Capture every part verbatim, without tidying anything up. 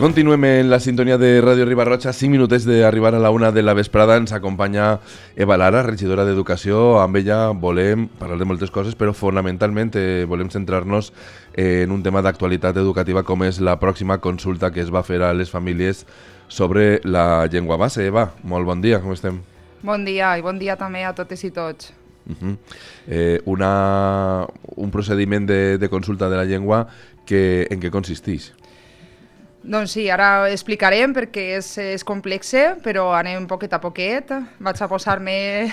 Continuem en la sintonia de Ràdio Riba-roja. Cinc minutets d'arribar a la una de la vesprada. Ens acompanya Eva Lara, regidora d'Educació. Amb ella volem parlar de moltes coses, però fonamentalment eh, volem centrar-nos en un tema d'actualitat educativa com és la pròxima consulta que es va fer a les famílies sobre la llengua base. Eva, molt bon dia, com estem? Bon dia, i bon dia també a totes i tots. Uh -huh. eh, una, un procediment de, de consulta de la llengua que, en què consisteix? Doncs sí, ara explicarem perquè és, és complexe, però anem poquet a poquet. Vaig a posar-me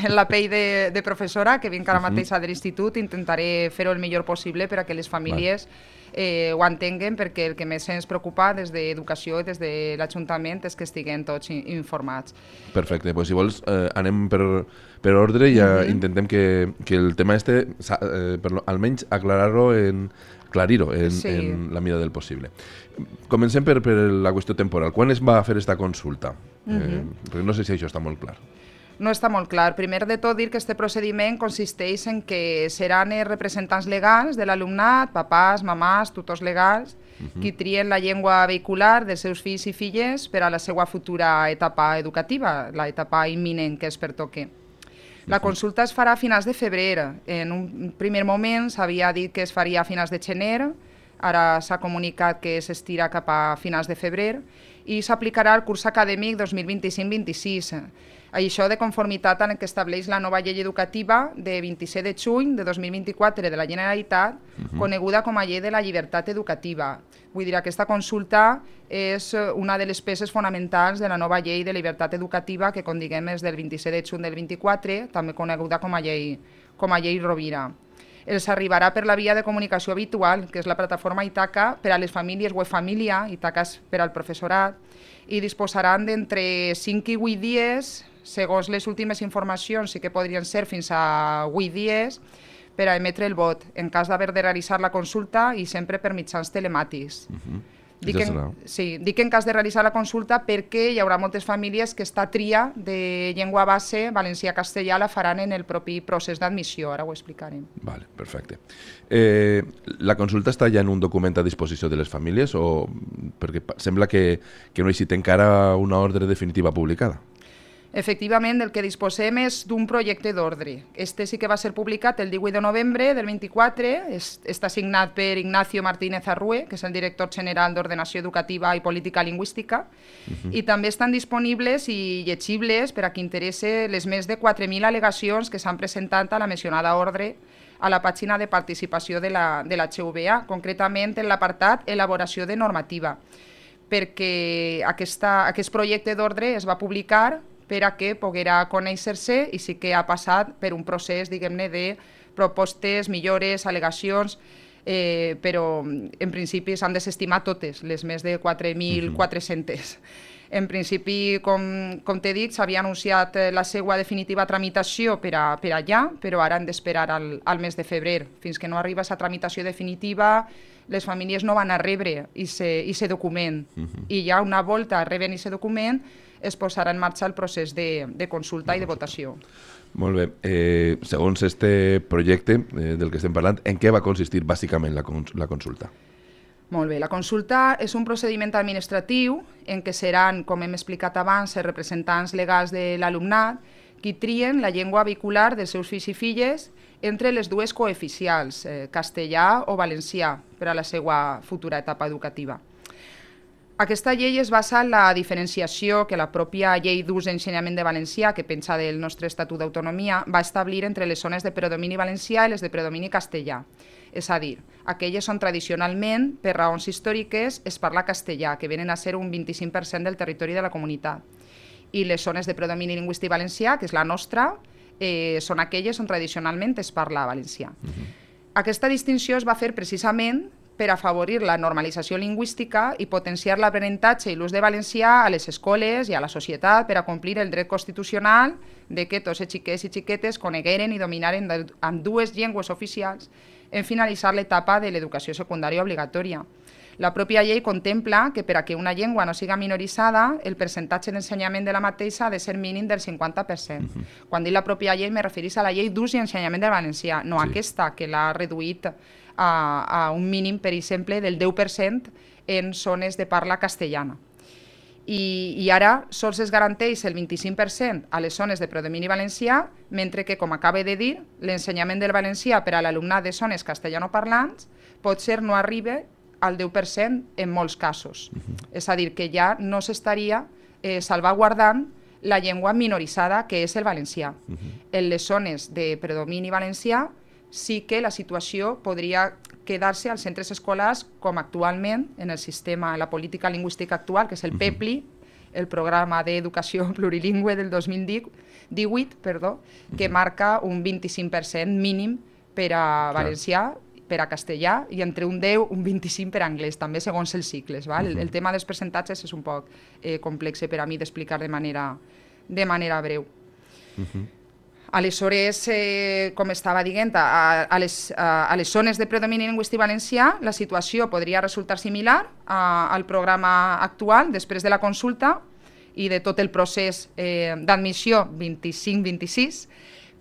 en la pell de, de professora, que vinc ara uh -huh. mateix de l'institut. Intentaré fer-ho el millor possible per a que les famílies eh, ho entenguen, perquè el que més ens preocupa des d'Educació i des de l'Ajuntament és que estiguem tots informats. Perfecte, doncs si vols eh, anem per, per ordre i uh -huh. intentem que, que el tema este, eh, per, almenys aclarar-lo en... aclarir-ho en, sí. en la mida del possible. Comencem per, per la qüestió temporal. Quan es va fer esta consulta? Uh -huh. eh, perquè no sé si això està molt clar. No està molt clar. Primer de tot dir que aquest procediment consisteix en que seran els representants legals de l'alumnat, papàs, mamàs, tutors legals, uh -huh. qui trien la llengua vehicular dels seus fills i filles per a la seva futura etapa educativa, l'etapa imminent que es pertoque. La consulta es farà a finals de febrer. En un primer moment s'havia dit que es faria a finals de gener, ara s'ha comunicat que s'estira cap a finals de febrer i s'aplicarà al curs acadèmic dos mil vint-i-cinc vint-i-sis. Això de conformitat amb el que estableix la nova llei educativa de vint-i-set de juny de dos mil vint-i-quatre de la Generalitat, uh-huh. coneguda com a Llei de la Llibertat Educativa. Vull dir, aquesta consulta és una de les peces fonamentals de la nova llei de llibertat educativa que, com diguem, és del vint-i-set de juny del vint-i-quatre, també coneguda com a llei, com a llei Rovira. Els arribarà per la via de comunicació habitual, que és la plataforma Itaca per a les famílies web família, Itaca és per al professorat, i disposaran d'entre cinc i vuit dies, segons les últimes informacions, sí que podrien ser fins a vuit dies, per a emetre el vot, en cas d'haver de realitzar la consulta i sempre per mitjans telemàtics. Uh-huh. Dic, ja en, sí, dic en cas de realitzar la consulta perquè hi haurà moltes famílies que esta tria de llengua base, valencià-castellà, la faran en el propi procés d'admissió, ara ho explicarem. Vale, perfecte. Eh, la consulta està ja en un document a disposició de les famílies o perquè sembla que, que no hi té encara una ordre definitiva publicada? Efectivament, el que disposem és d'un projecte d'ordre. Este sí que va ser publicat el divuit de novembre del vint-i-quatre, és, està signat per Ignacio Martínez Arrué, que és el director general d'Ordenació Educativa i Política Lingüística, uh-huh. i també estan disponibles i llegibles per a qui interesse les més de quatre mil al·legacions que s'han presentat a la mencionada ordre a la pàgina de participació de la, de la H U B A, concretament en l'apartat Elaboració de normativa, perquè aquesta, aquest projecte d'ordre es va publicar per a que poguera conèixer-se i sí que ha passat per un procés, diguem-ne, de propostes, millores, al·legacions, eh, però en principi s'han desestimat totes, les més de quatre mil quatre-cents. En principi, com, com t'he dit, s'havia anunciat la seva definitiva tramitació per, a, per allà, però ara hem d'esperar al, al mes de febrer. Fins que no arriba aquesta tramitació definitiva, les famílies no van a rebre aquest document. Uh-huh. I ja una volta reben aquest document, es posarà en marxa el procés de, de consulta i de votació. Molt bé. Eh, segons este projecte eh, del que estem parlant, en què va consistir bàsicament la, cons la consulta? Molt bé. La consulta és un procediment administratiu en què seran, com hem explicat abans, els representants legals de l'alumnat qui trien la llengua vehicular dels seus fills i filles entre les dues cooficials, eh, castellà o valencià, per a la seva futura etapa educativa. Aquesta llei es basa en la diferenciació que la pròpia llei d'ús d'ensenyament de valencià, que penja del nostre Estatut d'Autonomia, va establir entre les zones de predomini valencià i les de predomini castellà. És a dir, aquelles on tradicionalment, per raons històriques, es parla castellà, que venen a ser un vint-i-cinc per cent del territori de la comunitat. I les zones de predomini lingüístic valencià, que és la nostra, eh, són aquelles on tradicionalment es parla valencià. Uh-huh. Aquesta distinció es va fer precisament per afavorir la normalització lingüística i potenciar l'aprenentatge i l'ús de valencià a les escoles i a la societat per a complir el dret constitucional de que tots els xiquets i xiquetes conegueren i dominaren amb dues llengües oficials en finalitzar l'etapa de l'educació secundària obligatòria. La pròpia llei contempla que per a que una llengua no siga minoritzada, el percentatge d'ensenyament de la mateixa ha de ser mínim del cinquanta per cent. Uh-huh. Quan dic la pròpia llei me referís a la llei d'ús i ensenyament del valencià, no sí. aquesta que l'ha reduït a, a un mínim, per exemple, del deu per cent en zones de parla castellana. I, i ara sols es garanteix el vint-i-cinc per cent a les zones de predomini valencià, mentre que, com acaba de dir, l'ensenyament del valencià per a l'alumnat de zones castellanoparlants potser no arriba al deu per cent en molts casos. Uh-huh. És a dir, que ja no s'estaria eh, salvaguardant la llengua minoritzada que és el valencià. Uh-huh. En les zones de predomini valencià sí que la situació podria quedar-se als centres escolars com actualment en el sistema, la política lingüística actual, que és el PEPLI, el Programa d'Educació Plurilingüe del dos mil divuit, perdó, que marca un vint-i-cinc per cent mínim per a valencià, per a castellà, i entre un deu i un vint-i-cinc per a anglès, també segons els cicles. Val? El, el tema dels percentatges és un poc eh, complex per a mi d'explicar de manera, de manera breu. Uh-huh. Aleshores, eh, com estava dient, a, a, les, a, a les zones de predomini lingüístic valencià la situació podria resultar similar a, al programa actual després de la consulta i de tot el procés eh, d'admissió vint-i-cinc vint-i-sis,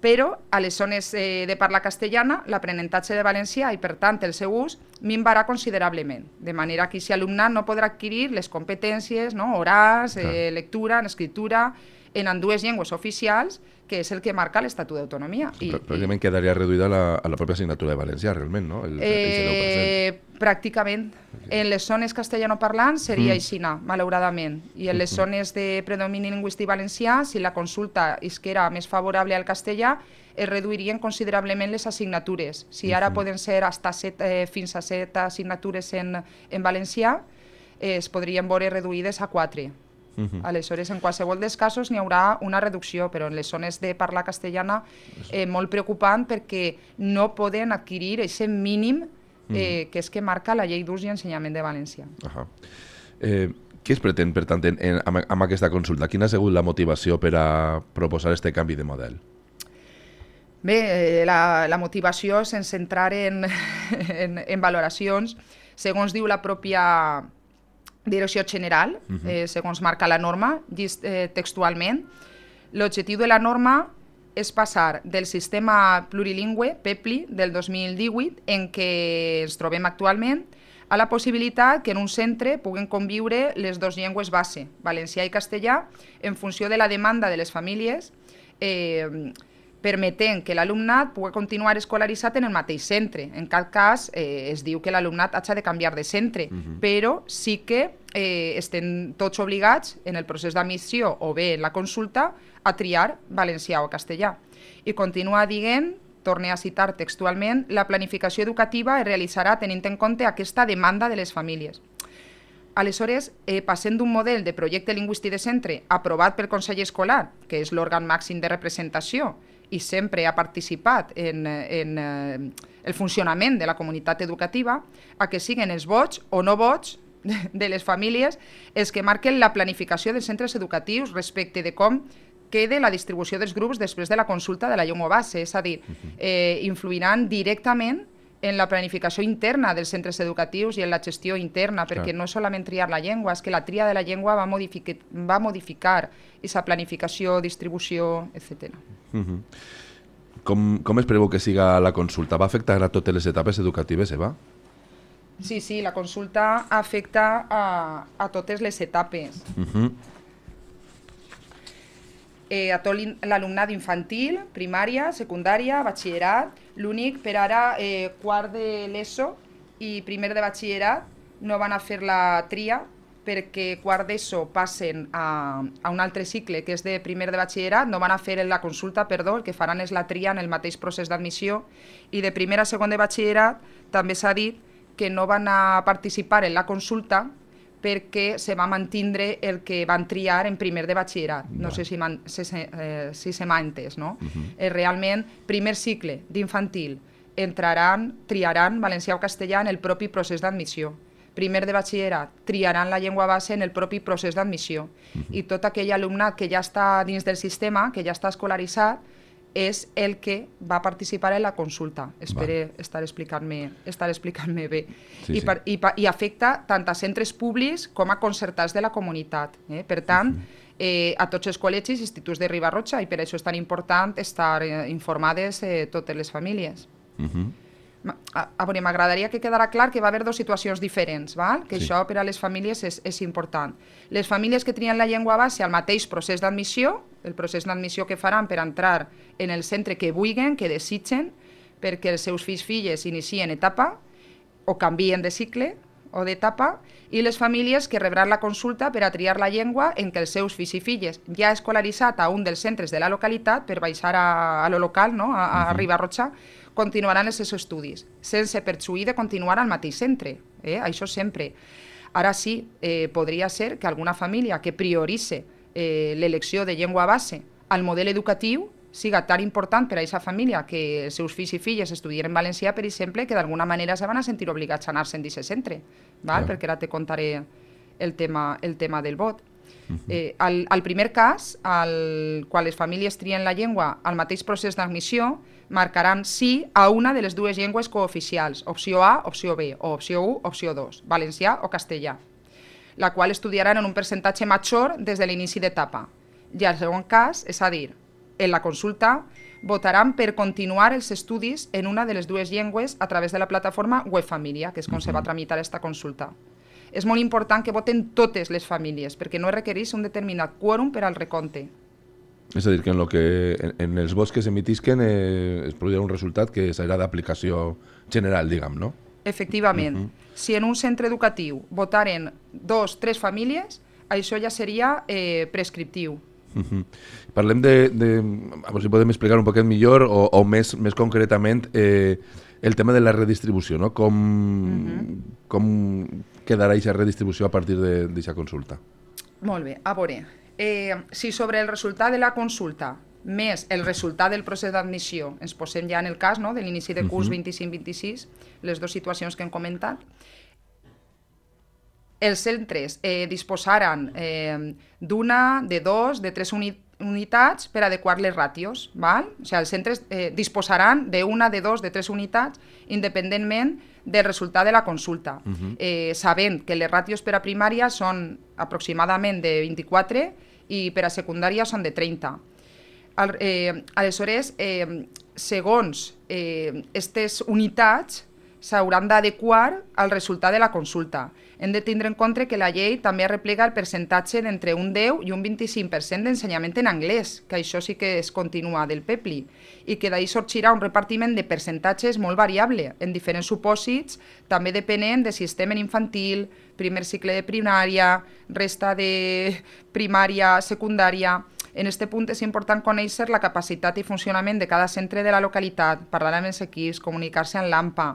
però a les zones eh, de parla castellana l'aprenentatge de valencià i, per tant, el seu ús minvarà considerablement, de manera que aquest alumnat no podrà adquirir les competències, no, orals, eh, lectura, en escriptura, en ambdues llengües oficials, que és el que marca l'Estatut d'Autonomia. Pràcticament quedaria reduïda a la, a la pròpia assignatura de valencià, realment, no? El, eh, el deu per cent. Pràcticament. Okay. En les zones castellanoparlants seria mm. aixina, malauradament. I en les mm-hmm. zones de predomini lingüístic valencià, si la consulta és que era més favorable al castellà, es reduirien considerablement les assignatures. Si ara mm-hmm. poden ser hasta set, eh, fins a set assignatures en, en valencià, eh, es podrien veure reduïdes a quatre. Uh-huh. Aleshores, en qualsevol dels casos n'hi haurà una reducció, però en les zones de parla castellana eh, molt preocupant perquè no poden adquirir aquest mínim eh, uh-huh. que és que marca la llei d'ús i ensenyament de valencià. Uh-huh. eh, què es pretén, per tant, en, en, amb, amb aquesta consulta? Quina ha sigut la motivació per a proposar aquest canvi de model? Bé, eh, la, la motivació, sense entrar en, en, en valoracions, segons diu la pròpia Direcció General, uh-huh. eh, segons marca la norma, eh, textualment, l'objectiu de la norma és passar del sistema plurilingüe, PEPLI, del dos mil divuit, en què ens trobem actualment, a la possibilitat que en un centre puguen conviure les dues llengües base, valencià i castellà, en funció de la demanda de les famílies, eh, permetent que l'alumnat pugui continuar escolaritzat en el mateix centre. En cap cas eh, es diu que l'alumnat hagi de canviar de centre, uh-huh. però sí que eh, estem tots obligats en el procés d'admissió o bé en la consulta a triar valencià o castellà. I continua dient, torne a citar textualment, la planificació educativa es realitzarà tenint en compte aquesta demanda de les famílies. Aleshores, eh, passem d'un model de projecte lingüístic de centre aprovat pel Consell Escolar, que és l'òrgan màxim de representació, i sempre ha participat en, en eh, el funcionament de la comunitat educativa, a que siguin els vots o no vots de, de les famílies els que marquen la planificació dels centres educatius respecte de com quede la distribució dels grups després de la consulta de la llengua base, és a dir, eh, influiran directament en la planificació interna dels centres educatius i en la gestió interna, perquè no és solament triar la llengua, és que la tria de la llengua va, modific va modificar aquesta planificació, distribució, etcètera. Uh-huh. com, com es preveu que siga la consulta? Va afectar a totes les etapes educatives, Eva? Sí, sí, la consulta afecta a, a totes les etapes. Uh-huh. eh, a tot l'alumnat infantil, primària, secundària, batxillerat. L'únic, per ara, eh, quart de l'ESO i primer de batxillerat no van a fer la tria perquè quart d'ESO passen a, a un altre cicle que és de primer de batxillerat, no van a fer la consulta, perdó, el que faran és la tria en el mateix procés d'admissió, i de primer a segon de batxillerat també s'ha dit que no van a participar en la consulta perquè se va mantindre el que van triar en primer de batxillerat. No, no sé si, man, si, eh, si se m'ha entès, no? Uh-huh. eh, realment, primer cicle d'infantil entraran, triaran valencià o castellà en el propi procés d'admissió. Primer de batxillerat triaran la llengua base en el propi procés d'admissió. Uh-huh. I tot aquell alumnat que ja està dins del sistema, que ja està escolaritzat, és el que va participar en la consulta. Espero estar explicant-me estar explicant-me bé. Sí, I, per, sí. i, I afecta tant a centres públics com a concertats de la comunitat. Eh? Per tant, uh-huh. eh, a tots els col·legis i instituts de Riba-roja, i per això és tan important estar eh, informades eh, totes les famílies. Uh-huh. A, a veure, m'agradaria que quedara clar que va haver dues situacions diferents, val? Que sí. Això per a les famílies és, és important. Les famílies que trien la llengua base al mateix procés d'admissió, el procés d'admissió que faran per entrar en el centre que vulguin, que desitgen, perquè els seus fills filles inicien etapa o canvien de cicle o d'etapa, i les famílies que rebran la consulta per a triar la llengua en què els seus fills i filles ja escolaritzat a un dels centres de la localitat per baixar a, a lo local, no? a, a uh-huh. Riba-roja, continuaran els seus estudis, sense perjuí de continuar al mateix centre, eh? Això sempre. Ara sí, eh, podria ser que alguna família que prioritze eh, l'elecció de llengua base al model educatiu siga tan important per a aquesta família que els seus fills i filles estudien en valencià, per exemple, que d'alguna manera se van a sentir obligats a anar-se'n d'aquest centre, val? Perquè ara te contaré el tema, el tema del vot. Uh-huh. eh, al, al primer cas, al, quan les famílies trien la llengua al mateix procés d'admissió, marcaran sí a una de les dues llengües cooficials, opció A, opció B, o opció u, opció dos, valencià o castellà, la qual estudiaran en un percentatge major des de l'inici d'etapa. I al segon cas, és a dir, en la consulta, votaran per continuar els estudis en una de les dues llengües a través de la plataforma Web Família, que és com uh-huh. se va tramitar aquesta consulta. És molt important que voten totes les famílies, perquè no requereix un determinat quòrum per al recompte. És a dir, que en, lo que, en, en els vots que s'emitisquen eh, es produirà un resultat que serà d'aplicació general, diguem, no? Efectivament. Uh-huh. Si en un centre educatiu votaren dos, tres famílies, això ja seria eh, prescriptiu. Uh-huh. Parlem de, de, a veure si podem explicar un poquet millor o, o més, més concretament eh, el tema de la redistribució, no? Com, uh-huh. com quedarà aquesta redistribució a partir d'aquesta consulta? Molt bé, a veure, eh, si sobre el resultat de la consulta més el resultat del procés d'admissió ens posem ja en el cas, no?, de l'inici de curs uh-huh. vint-i-cinc vint-i-sis, les dues situacions que hem comentat, els centres eh, disposaran eh, d'una, de dos, de tres uni unitats per adequar les ràtios, val? O sigui, els centres eh, disposaran d'una, de dos, de tres unitats, independentment del resultat de la consulta, uh-huh. eh, sabent que les ràtios per a primària són aproximadament de vint-i-quatre i per a secundària són de trenta. Al, eh, aleshores, eh, segons aquestes eh, unitats, s'hauran d'adequar al resultat de la consulta. Hem de tindre en compte que la llei també arreplega el percentatge d'entre un deu i un vint-i-cinc per cent d'ensenyament en anglès, que això sí que es continua del PEPLI, i que d'ahir sorgirà un repartiment de percentatges molt variable, en diferents supòsits, també depenent de si estem en infantil, primer cicle de primària, resta de primària, secundària. En aquest punt és important conèixer la capacitat i funcionament de cada centre de la localitat, parlar amb els equips, comunicar-se amb l'A M P A,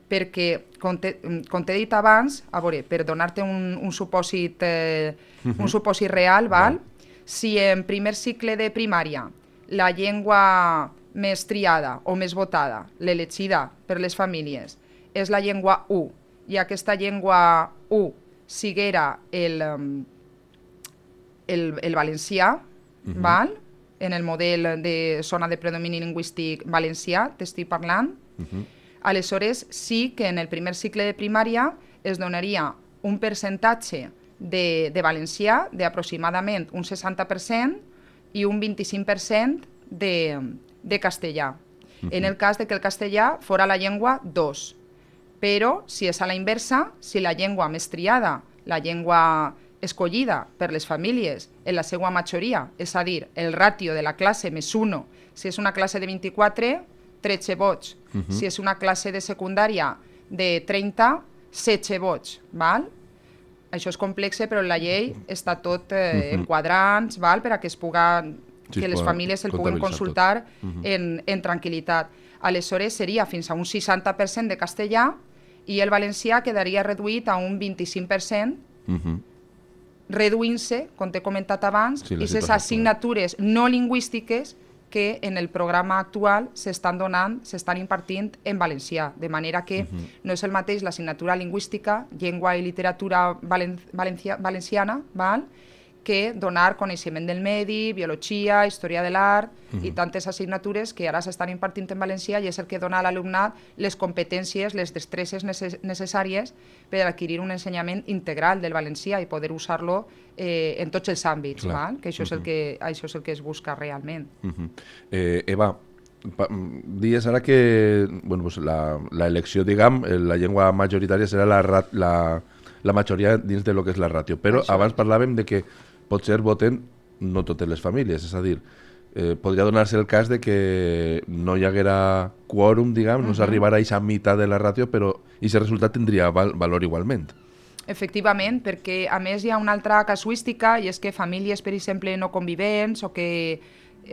perquè, com t'he dit abans, a veure, per donar-te un, un, supòsit, eh, uh-huh. un supòsit real, val? Uh-huh. Si en primer cicle de primària la llengua més triada o més votada, l'elegida per les famílies, és la llengua u, i aquesta llengua u siguera el, el, el valencià, uh-huh. val? En el model de zona de predomini lingüístic valencià, t'estic parlant, uh-huh. aleshores sí que en el primer cicle de primària es donaria un percentatge de, de valencià d'aproximadament un seixanta per cent i un vint-i-cinc per cent de, de castellà. Uh-huh. En el cas de que el castellà fora la llengua dos. Però, si és a la inversa, si la llengua més triada, la llengua escollida per les famílies en la seva majoria, és a dir, el ràtio de la classe més un, si és una classe de vint-i-quatre, tretze vots. Uh-huh. Si és una classe de secundària de trenta, setze vots. Val? Això és complex, però la llei està tot eh, uh-huh. en quadrants, val? Per a que es puga, sí, que les famílies el puguen consultar uh-huh. en, en tranquil·litat. Aleshores seria fins a un seixanta per cent de castellà i el valencià quedaria reduït a un vint-i-cinc per cent, uh-huh. reduint-se, com t'he comentat abans, sí, i les assignatures no lingüístiques que en el programa actual s'estan donant, s'estan impartint en valencià, de manera que uh-huh. no és el mateix l'assignatura lingüística, llengua i literatura valen valencia valenciana, val? Que donar coneixement del medi, biologia, història de l'art uh-huh. i tantes assignatures que ara s'estan impartint en valencià i és el que dona a l'alumnat les competències, les destreses necess necessàries per adquirir un ensenyament integral del valencià i poder usar-lo eh, en tots els àmbits, val? Que això, uh-huh. és el que això és el que es busca realment. Uh-huh. eh, Eva, dies ara que bueno, pues la, la elecció, diguem, la llengua majoritària serà la, la, la majoria dins de lo que és la ràtio, però Això. abans parlàvem de que potser voten no totes les famílies, és a dir, eh, podria donar-se el cas de que no hi haguera quòrum, diguem, no uh -huh. s'arribara a aquesta meitat de la ràtio, però aquest resultat tindria val, valor igualment. Efectivament, perquè a més hi ha una altra casuística i és que famílies, per exemple, no convivents o que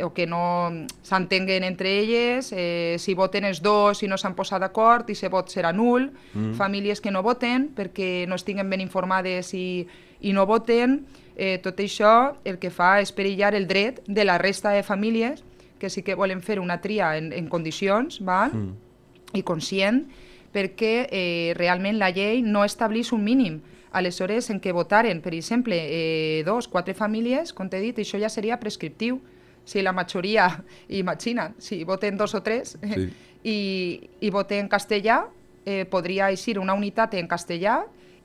o que no s'entenguen entre elles, eh, si voten els dos i no s'han posat d'acord i se vot serà nul, mm. famílies que no voten perquè no estiguen ben informades i, i no voten, eh, tot això el que fa és perillar el dret de la resta de famílies que sí que volen fer una tria en, en condicions, val? Mm. i conscient, perquè eh, realment la llei no estableix un mínim. Aleshores, en què votaren, per exemple, eh, dos, quatre famílies, com t'he dit, això ja seria prescriptiu. Si la majoria, imagina't, si voten dos o tres sí. i, i voten en castellà, eh, podria eixir una unitat en castellà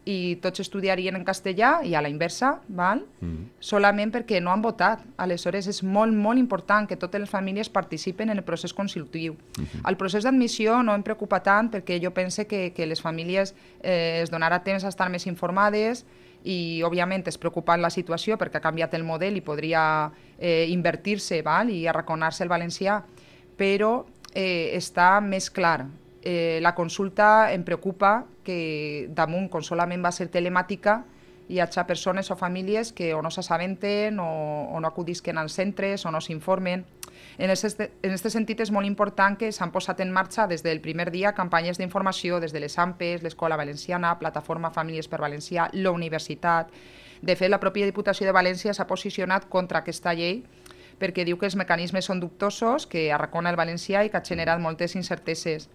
i tots estudiarien en castellà i a la inversa, val? Mm. solament perquè no han votat. Aleshores és molt, molt important que totes les famílies participen en el procés consultiu. Mm-hmm. El procés d'admissió no em preocupa tant perquè jo pense que, que les famílies eh, es donarà temps a estar més informades i òbviament és preocupant la situació perquè ha canviat el model i podria eh, invertir-se val? i arraconar-se el valencià, però eh, està més clar. Eh, la consulta em preocupa que damunt, com solament va ser telemàtica, hi hagi persones o famílies que o no s'assabenten o, o no acudisquen als centres o no s'informen. En aquest sentit és molt important que s'han posat en marxa des del primer dia campanyes d'informació des de les A M P E S, l'Escola Valenciana, Plataforma Famílies per Valencià, la Universitat. De fet, la pròpia Diputació de València s'ha posicionat contra aquesta llei perquè diu que els mecanismes són dubtosos, que arracona el valencià i que ha generat moltes incerteses.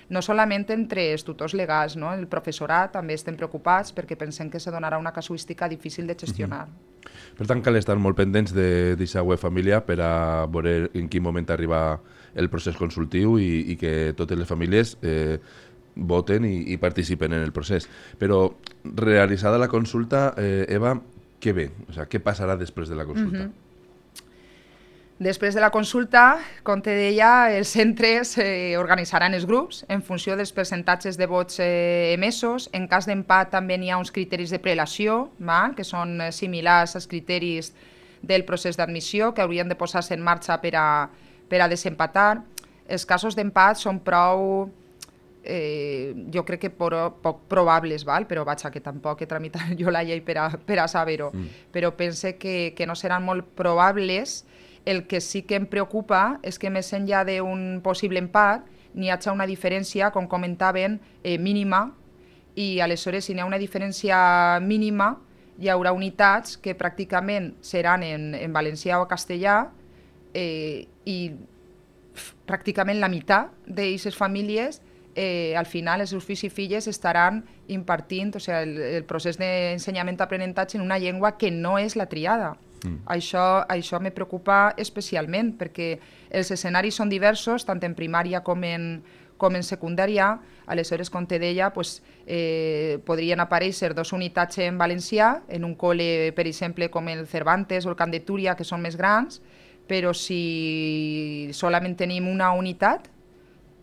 No solament entre els tutors legals, no? El professorat també estem preocupats perquè pensem que se donarà una casuística difícil de gestionar. Uh-huh. Per tant, cal estar molt pendents d'aquesta web família per a veure en quin moment arriba el procés consultiu i, i que totes les famílies eh, voten i, i participen en el procés. Però realitzada la consulta, eh, Eva, què ve? O sigui, què passarà després de la consulta? Uh-huh. Després de la consulta, com te deia, els centres eh, organitzaran els grups en funció dels percentatges de vots eh, emesos. En cas d'empat també n'hi ha uns criteris de prelació, val? que són eh, similars als criteris del procés d'admissió, que haurien de posar-se en marxa per a, per a desempatar. Els casos d'empat són prou, eh, jo crec que por, poc probables, val? però vaja, que tampoc he tramitat jo la llei per a, per a saber-ho. Mm. Però pense que, que no seran molt probables. El que sí que em preocupa és que més enllà d'un possible empat n'hi hagi una diferència, com comentaven, eh, mínima, i aleshores si n'hi ha una diferència mínima hi haurà unitats que pràcticament seran en, en valencià o castellà eh, i f, pràcticament la meitat d'aquestes famílies eh, al final els seus fills i filles estaran impartint o sigui, el, el procés d'ensenyament-aprenentatge en una llengua que no és la triada. Mm. Això, això me preocupa especialment perquè els escenaris són diversos tant en primària com en, com en secundària. Aleshores, com te deia, pues, eh, podrien aparèixer dos unitats en valencià en un col·le, per exemple, com el Cervantes o el Camp de Túria, que són més grans, però si solament tenim una unitat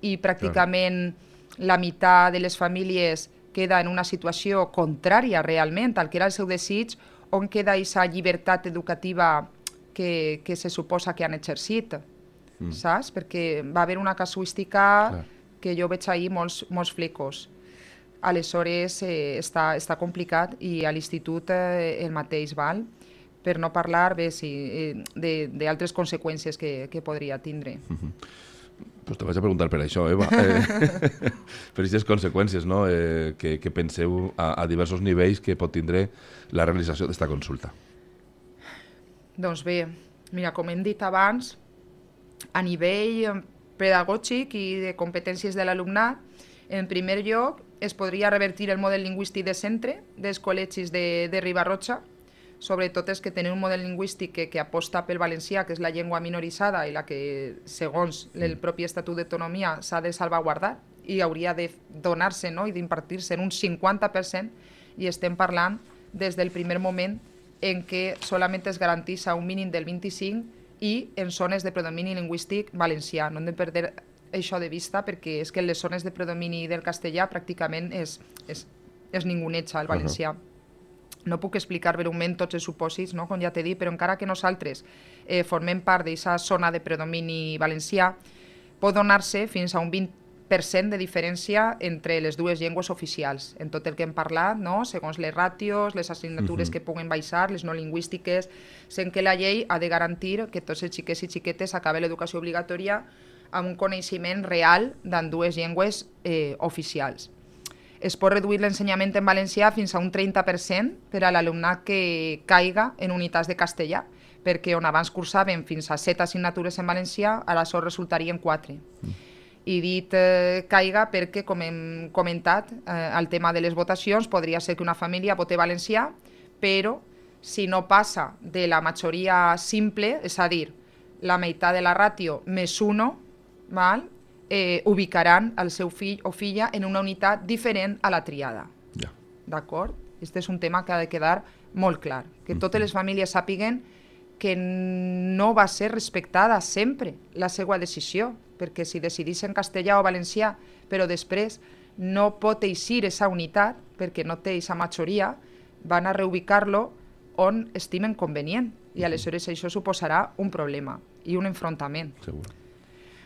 i pràcticament claro. la meitat de les famílies queda en una situació contrària realment al que era el seu desig, on queda aquesta llibertat educativa que, que se suposa que han exercit, mm. saps? Perquè va haver una casuística Clar. que jo veig ahir molts, molts flecos. Aleshores eh, està, està complicat i a l'institut eh, el mateix val, per no parlar bé, sí, eh, d'altres conseqüències que, que podria tindre. Mm-hmm. Pues te vaig a preguntar per això, Eva. Eh, per aquestes conseqüències, no? eh, que, que penseu a, a diversos nivells que pot tindre la realització d'esta consulta. Doncs bé, mira, com hem dit abans, a nivell pedagògic i de competències de l'alumnat, en primer lloc es podria revertir el model lingüístic de centre dels col·legis de, de Riba-roja, sobretot és que tenen un model lingüístic que, que aposta pel valencià, que és la llengua minoritzada i la que, segons el propi Estatut d'Autonomia, s'ha de salvaguardar i hauria de donar-se, no? i d'impartir-se en un cinquanta per cent, i estem parlant des del primer moment en què solament es garanteix un mínim del vint-i-cinc i en zones de predomini lingüístic valencià. No hem de perdre això de vista perquè és que en les zones de predomini del castellà pràcticament és, és, és ninguneja el valencià. Uh-huh. No puc explicar breument tots els supòsits, no? Com ja t'he dit, però encara que nosaltres eh, formem part d'aquesta zona de predomini valencià, pot donar-se fins a un vint per cent de diferència entre les dues llengües oficials, en tot el que hem parlat, no? Segons les ràtios, les assignatures uh-huh. que puguen baixar, les no lingüístiques, sent que la llei ha de garantir que tots els xiquets i xiquetes acaben l'educació obligatòria amb un coneixement real d'en dues llengües eh, oficials. Es pot reduir l'ensenyament en valencià fins a un trenta per cent per a l'alumnat que caiga en unitats de castellà, perquè on abans cursaven fins a set assignatures en valencià, ara això resultarien quatre. Mm. I dit eh, caiga perquè, com hem comentat, eh, el tema de les votacions, podria ser que una família vote valencià, però si no passa de la majoria simple, és a dir, la meitat de la ràtio més uno, val? Eh, ubicaran el seu fill o filla en una unitat diferent a la triada. Ja. D'acord? Este és un tema que ha de quedar molt clar, que totes les famílies sàpiguen que no va ser respectada sempre la seva decisió, perquè si decidís en castellà o valencià, però després no pot eixir aquesta unitat, perquè no té aquesta majoria, van a reubicar-lo on estimen convenient, i aleshores això suposarà un problema i un enfrontament. Segur.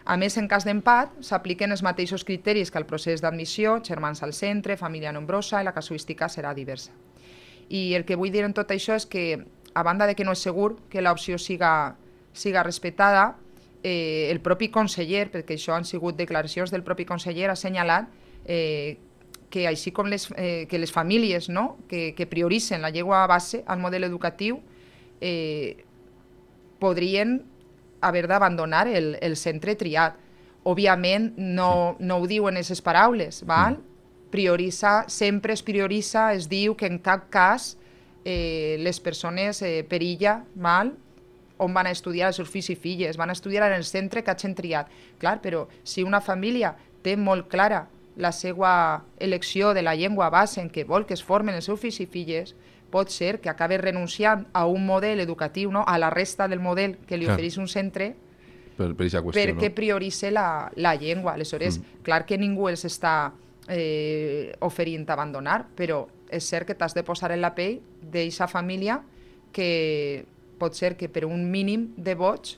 A més, en cas d'empat, s'apliquen els mateixos criteris que el procés d'admissió, germans al centre, família nombrosa, i la casuística serà diversa. I el que vull dir en tot això és que, a banda de que no és segur que l'opció siga, siga respectada, eh, el propi conseller, perquè això han sigut declaracions del propi conseller, ha assenyalat eh, que així com les, eh, que les famílies, no?, que, que prioritzen la llengua base al model educatiu eh, podrien haver d'abandonar el, el centre triat. Òbviament no, no ho diuen aquestes paraules, val? Prioritza, sempre es prioritza, es diu que en cap cas eh, les persones eh, per illa, val? On van a estudiar els seus fills i filles, van a estudiar en el centre que hagin triat. Clar, però si una família té molt clara la seva elecció de la llengua base en què vol que es formen els seus fills i filles, pot ser que acabi renunciant a un model educatiu, no? A la resta del model que li ofereix un centre, per, per qüestió, perquè no? prioritza la, la llengua. Aleshores, mm. clar que ningú els està eh, oferint abandonar, però és cert que t'has de posar en la pell d'aquesta família que pot ser que per un mínim de vots,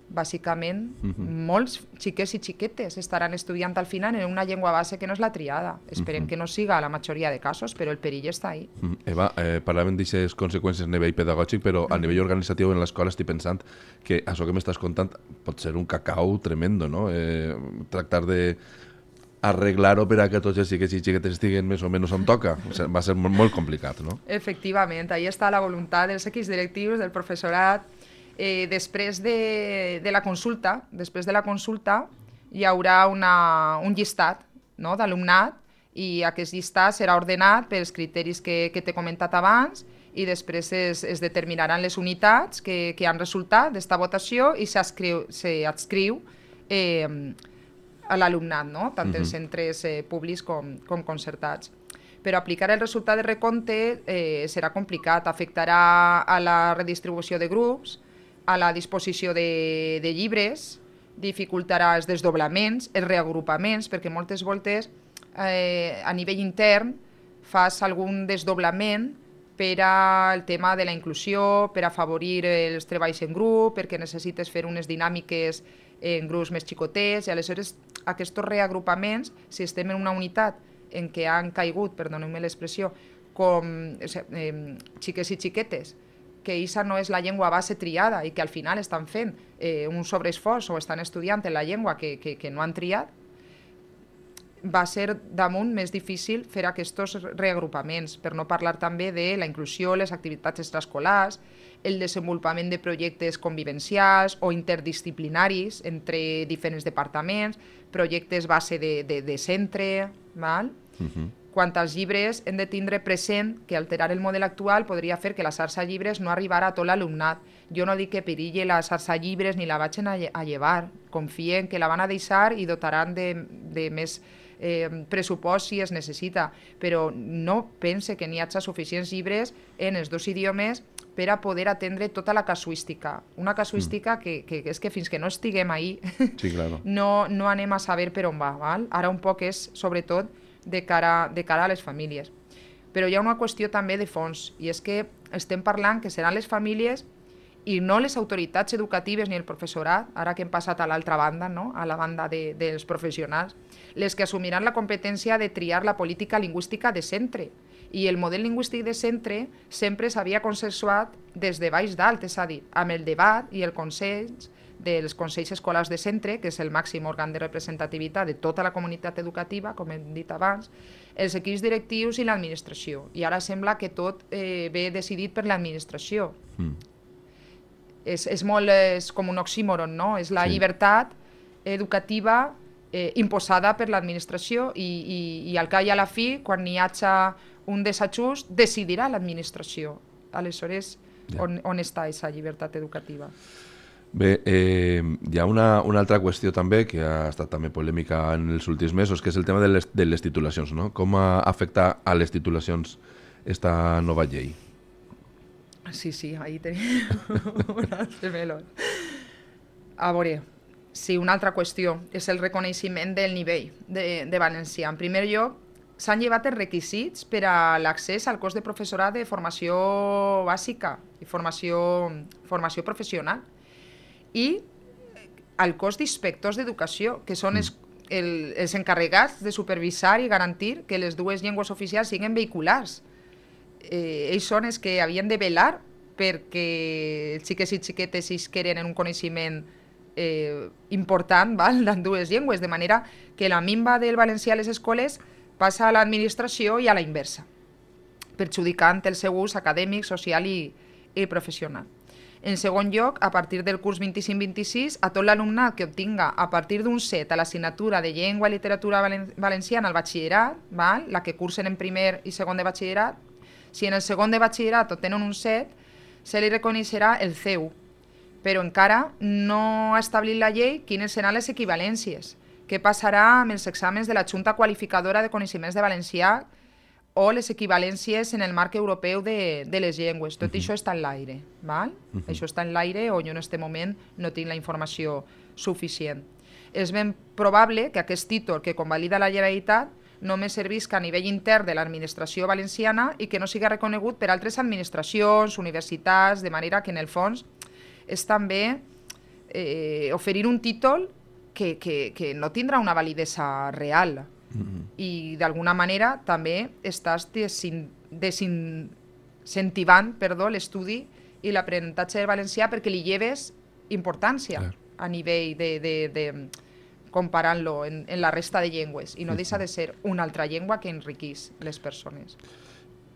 bàsicament, mm-hmm. molts xiquets i xiquetes estaran estudiant al final en una llengua base que no és la triada. Esperem mm-hmm. que no siga la majoria de casos, però el perill està ahí. Mm-hmm. Eva, eh, parlàvem d'aquestes conseqüències a nivell pedagògic, però mm-hmm. a nivell organitzatiu en l'escola estic pensant que això que m'estàs contant pot ser un cacau tremendo, no? Eh, tractar de arreglar-ho per a que tots els xiquets i xiquetes estiguen més o menys on toca. O sigui, va ser molt, molt complicat, no? Efectivament, ahí està la voluntat dels equips directius, del professorat. Eh, després de, de la consulta, després de la consulta hi haurà una, un llistat, no?, d'alumnat, i aquest llistat serà ordenat pels criteris que, que t'he comentat abans, i després es, es determinaran les unitats que, que han resultat d'esta votació i s'adscriu eh, a l'alumnat, no?, tant uh-huh. els centres eh, públics com, com concertats. Però aplicar el resultat de recompte eh, serà complicat, afectarà a la redistribució de grups, a la disposició de, de llibres, dificultarà els desdoblaments, els reagrupaments, perquè moltes voltes eh, a nivell intern fas algun desdoblament per al tema de la inclusió, per afavorir els treballs en grup, perquè necessites fer unes dinàmiques en grups més xicotets, i aleshores aquests reagrupaments, si estem en una unitat en què han caigut, perdoneu-me l'expressió, com eh, xiques i xiquetes, que aquesta no és la llengua base triada i que al final estan fent eh, un sobreesforç o estan estudiant en la llengua que, que, que no han triat, va ser damunt més difícil fer aquests reagrupaments, per no parlar també de la inclusió, les activitats extraescolars, el desenvolupament de projectes convivencials o interdisciplinaris entre diferents departaments, projectes base de, de, de centre, val? Uh-huh. Quant als llibres, hem de tindre present que alterar el model actual podria fer que la xarxa llibres no arribara a tot l'alumnat. Jo no dic que perilli la xarxa llibres ni la vagin a, a llevar. Confien que la van a deixar i dotaran de, de més eh, pressupost si es necessita. Però no pense que n'hi hagi suficients llibres en els dos idiomes per a poder atendre tota la casuística. Una casuística mm. que, que, que és que fins que no estiguem ahí sí, claro. no, no anem a saber per on va. Val? Ara un poc és, sobretot, de cara, de cara a les famílies. Però hi ha una qüestió també de fons, i és que estem parlant que seran les famílies i no les autoritats educatives ni el professorat, ara que hem passat a l'altra banda, no? A la banda de, dels professionals, les que assumiran la competència de triar la política lingüística de centre. I el model lingüístic de centre sempre s'havia consensuat des de baix dalt, és a dir, amb el debat i el consens dels consells escolars de centre, que és el màxim òrgan de representativitat de tota la comunitat educativa, com hem dit abans, els equips directius i l'administració. I ara sembla que tot eh, ve decidit per l'administració. Mm. És, és molt és com un oxímoron, no? És la sí. llibertat educativa eh, imposada per l'administració i, i, i al cap i a la fi, quan n'hi hagi un desajust, decidirà l'administració. Aleshores, ja. on, on està aquesta llibertat educativa? Bé, eh, hi ha una, una altra qüestió també que ha estat també polèmica en els últims mesos, que és el tema de les, de les titulacions, no? Com afecta a les titulacions esta nova llei? Sí, sí, ahí tenim un altre meló. A veure, sí, una altra qüestió és el reconeixement del nivell de, de valencià. En primer lloc, s'han llevat els requisits per a l'accés al cos de professorat de formació bàsica i formació, formació professional i al cos d'inspectors d'educació, que són els, el, els encarregats de supervisar i garantir que les dues llengües oficials siguin vehiculars. Eh, ells són els que havien de velar perquè els xiquets i xiquetes isqueren en un coneixement eh, important, val, en dues llengües, de manera que la minva del valencià a les escoles passa a l'administració i a la inversa, perjudicant el seu ús acadèmic, social i, i professional. En segon lloc, a partir del curs vint-i-cinc vint-i-sis, a tot l'alumnat que obtinga a partir d'un set a l'assignatura de llengua i literatura valenciana al batxillerat, val, la que cursen en primer i segon de batxillerat, si en el segon de batxillerat obtenen un set, se li reconeixerà el C u, però encara no ha establit la llei quines seran les equivalències, què passarà amb els exàmens de la Junta Qualificadora de Coneixements de Valencià o les equivalències en el marc europeu de, de les llengües. Tot uh-huh. això està en l'aire, val? Uh-huh. Això està en l'aire o jo en aquest moment no tinc la informació suficient. És ben probable que aquest títol que convalida la Generalitat només servisca a nivell intern de l'administració valenciana i que no siga reconegut per altres administracions, universitats, de manera que en el fons és també eh, oferir un títol que, que, que no tindrà una validesa real. Mm-hmm. I d'alguna manera també estàs desin, desincentivant perdó, l'estudi i l'aprenentatge del valencià perquè li lleves importància Clar. a nivell de, de, de comparant-lo en, en la resta de llengües i no deixa de ser una altra llengua que enriquís les persones.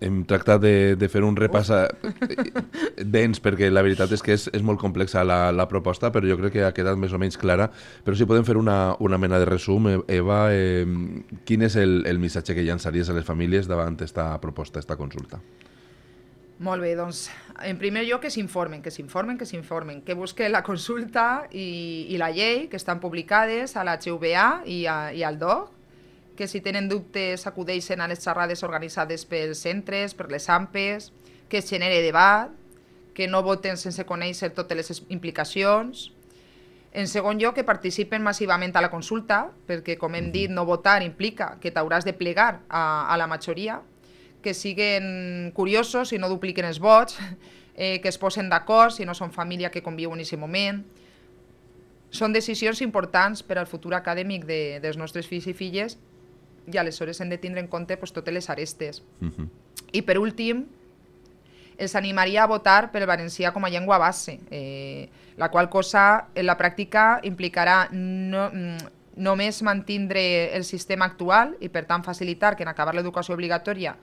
Hem tractat de, de fer un repàs dens, perquè la veritat és que és, és molt complexa la, la proposta, però jo crec que ha quedat més o menys clara. Però si podem fer una, una mena de resum, Eva, eh, quin és el, el missatge que llançaries a les famílies davant aquesta proposta, aquesta consulta? Molt bé, doncs, en primer lloc que s'informen, que s'informen, que s'informen, que busquen la consulta i, i la llei, que estan publicades a la H V A i, a, i al D O C, que si tenen dubtes acudeixen a les xerrades organitzades pels centres, per les A M P Es, que es genere debat, que no voten sense conèixer totes les implicacions. En segon lloc, que participen massivament a la consulta, perquè, com hem dit, no votar implica que t'hauràs de plegar a, a la majoria, que siguen curiosos i no dupliquen els vots, eh, que es posen d'acord si no són família que conviuen en aquest moment. Són decisions importants per al futur acadèmic de, dels nostres fills i filles i aleshores hem de tindre en compte pues, totes les arestes. Uh-huh. I per últim, els animaria a votar pel valencià com a llengua base, eh, la qual cosa en la pràctica implicarà no, només mantindre el sistema actual i per tant facilitar que en acabar l'educació obligatòria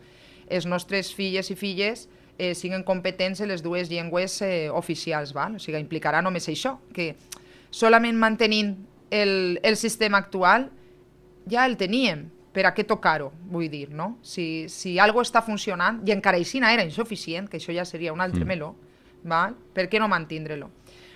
els nostres filles i filles eh, siguin competents en les dues llengües eh, oficials. Val? O sigui, implicarà només això, que solament mantenint el, el sistema actual ja el teníem. Per a què tocar-ho, vull dir, no? Si, si algo està funcionant, i encara així era insuficient, que això ja seria un altre mm. meló, val? Per què no mantindre-lo?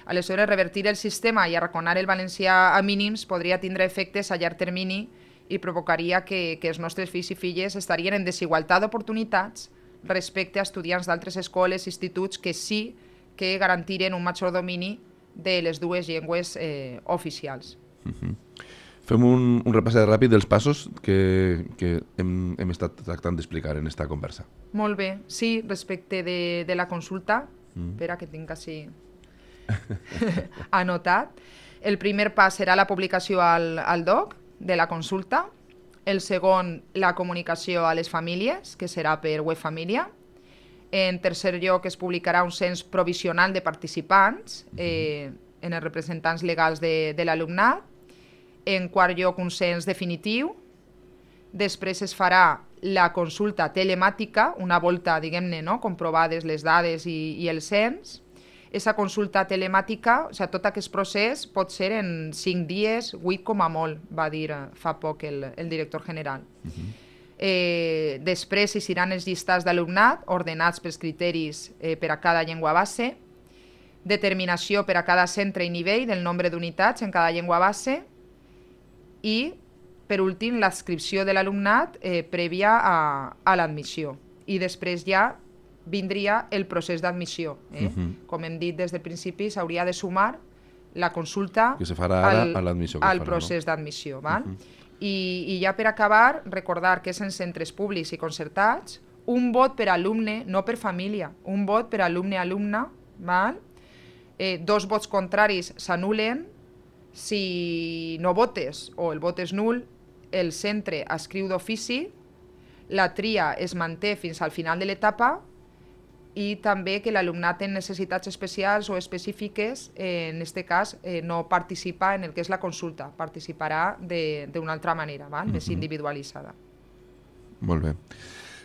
Aleshores, revertir el sistema i arraconar el valencià a mínims podria tindre efectes a llarg termini i provocaria que, que els nostres fills i filles estarien en desigualtat d'oportunitats respecte a estudiants d'altres escoles i instituts que sí que garantiren un major domini de les dues llengües eh, oficials. Uh-huh. Fem un, un repàs ràpid dels passos que, que hem, hem estat tractant d'explicar en esta conversa. Molt bé, sí, respecte de, de la consulta, mm. espera que tinc així anotat. El primer pas serà la publicació al, al D O C de la consulta, el segon la comunicació a les famílies, que serà per web família. En tercer lloc es publicarà un cens provisional de participants eh, en els representants legals de, de l'alumnat. En quart lloc, un cens definitiu. Després es farà la consulta telemàtica, una volta, diguem-ne, no? comprovades les dades i, i el cens. Aquesta consulta telemàtica, o sigui, tot aquest procés pot ser en cinc dies, vuit com a molt, va dir fa poc el, el director general. Uh-huh. eh, després hi seran els llistats d'alumnat, ordenats pels criteris eh, per a cada llengua base, determinació per a cada centre i nivell del nombre d'unitats en cada llengua base, i, per últim, l'adscripció de l'alumnat eh, prèvia a, a l'admissió. I després ja vindria el procés d'admissió. Eh? Uh-huh. Com hem dit des del principi, s'hauria de sumar la consulta que se farà ara al, a l'admissió que al farà, procés no? d'admissió. Val? Uh-huh. I, I ja per acabar, recordar que és en centres públics i concertats, un vot per alumne, no per família, un vot per alumne-alumna, val? Eh, dos vots contraris s'anulen. Si no votes o el vot és nul, el centre escriu d'ofici, la tria es manté fins al final de l'etapa i també que l'alumnat en necessitats especials o específiques, eh, en aquest cas, eh, no participa en el que és la consulta, participarà d'una altra manera, val? Uh-huh. Més individualitzada. Molt bé.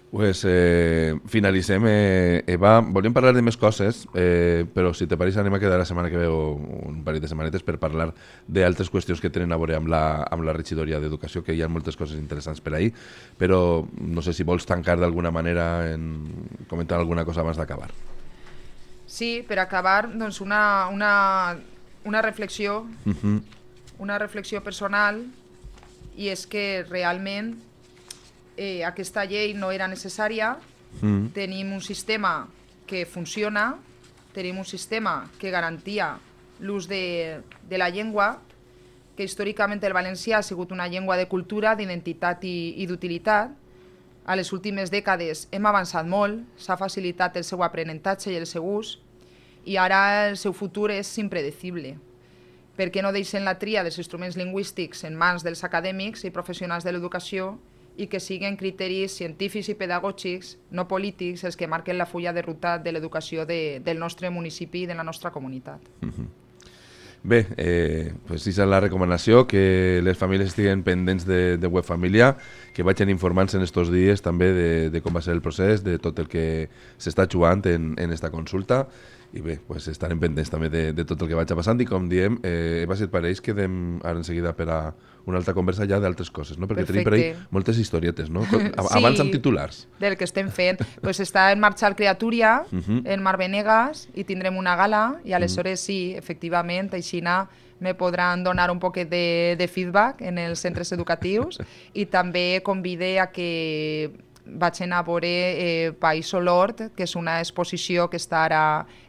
Pues eh, finalitzem, eh, Eva. Volíem parlar de més coses, eh, però si te pareix anem a quedar la setmana que ve o un parell de setmanetes per parlar d'altres qüestions que tenen a veure amb la, amb la regidoria d'Educació, que hi ha moltes coses interessants per ahir, però no sé si vols tancar d'alguna manera en comentar alguna cosa abans d'acabar. Sí, per acabar, doncs una, una, una reflexió, uh-huh. una reflexió personal, i és que realment Eh, aquesta llei no era necessària, mm. tenim un sistema que funciona, tenim un sistema que garantia l'ús de, de la llengua, que històricament el valencià ha sigut una llengua de cultura, d'identitat i, i d'utilitat. A les últimes dècades hem avançat molt, s'ha facilitat el seu aprenentatge i el seu ús, i ara el seu futur és impredecible. Per què no deixen la tria dels instruments lingüístics en mans dels acadèmics i professionals de l'educació i que siguin criteris científics i pedagògics, no polítics, els que marquen la fulla de ruta de l'educació de, del nostre municipi i de la nostra comunitat. Uh-huh. Bé, eh, pues és la recomanació, que les famílies estiguen pendents de, de web família, que vagin informant-se en estos dies també de, de com va ser el procés, de tot el que s'està jugant en, en esta consulta, i bé, pues estarem pendents també de, de tot el que vagi passant, i com diem, eh, Eva, si et pareix, quedem ara en seguida per a una altra conversa ja d'altres coses, no? Perquè Perfecte. Tenim per ahí moltes historietes, no? Sí, abans amb titulars. Del que estem fent. Pues està en marxa el Creatúria, uh-huh. en Mar Venegas, i tindrem una gala, i aleshores uh-huh. sí, efectivament, aixina me podran donar un poquet de, de feedback en els centres educatius, i també convide a que vaig anar a veure eh, País Olort, que és una exposició que està ara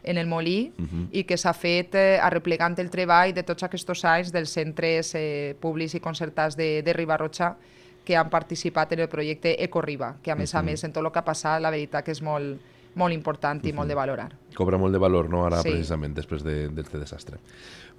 en el Molí uh-huh. i que s'ha fet eh, arreplegant el treball de tots aquests anys dels centres eh, públics i concertats de, de Riba-roja que han participat en el projecte Ecoriba, que a més uh-huh. a més en tot el que ha passat la veritat que és molt, molt important i uh-huh. molt de valorar. Cobra molt de valor, no? Ara, sí. Precisament, després d'aquest de, desastre.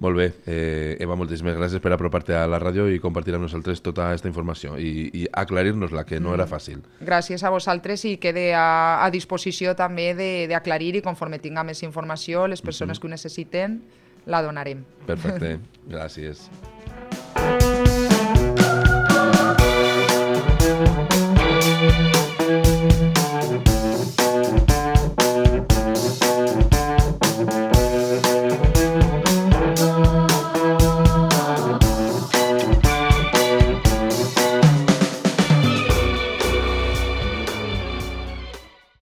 Molt bé. Eh, Eva, moltíssimes gràcies per apropar-te a la ràdio i compartir amb nosaltres tota aquesta informació i, i aclarir-nos-la, que no mm. era fàcil. Gràcies a vosaltres i quede a, a disposició també d'aclarir i conforme tinga més informació, les persones mm-hmm. que ho necessiten la donarem. Perfecte. Gràcies.